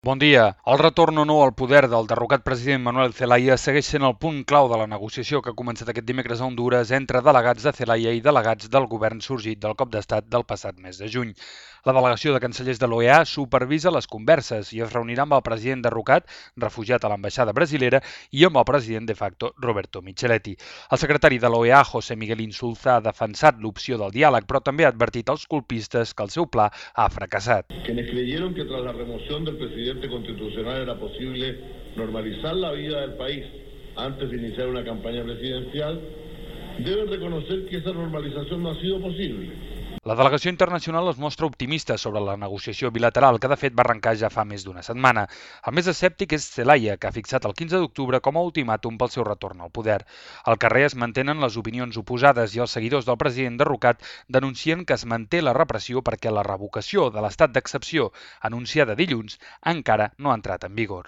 Bon dia. El retorn o no al poder del derrocat president Manuel Zelaya segueix sent el punt clau de la negociació que ha començat aquest dimecres a Hondures entre delegats de Zelaya i delegats del govern sorgit del cop d'estat del passat mes de juny. La delegació de cancellers de l'OEA supervisa les converses i es reunirà amb el president derrocat, refugiat a l'ambaixada brasilera, i amb el president de facto, Roberto Micheletti. El secretari de l'OEA, José Miguel Insulza, ha defensat l'opció del diàleg, però també ha advertit als colpistes que el seu pla ha fracassat. Quienes creyeron que tras la remoción del presidente constitucional era posible normalizar la vida del país antes de iniciar una campaña presidencial, deben reconocer que esa normalización no ha sido posible. La delegació internacional es mostra optimista sobre la negociació bilateral, que de fet va arrencar ja fa més d'una setmana. El més escèptic és Zelaya, que ha fixat el 15 d'octubre com a ultimàtum pel seu retorn al poder. Al carrer es mantenen les opinions oposades i els seguidors del president derrocat denuncien que es manté la repressió perquè la revocació de l'estat d'excepció, anunciada dilluns, encara no ha entrat en vigor.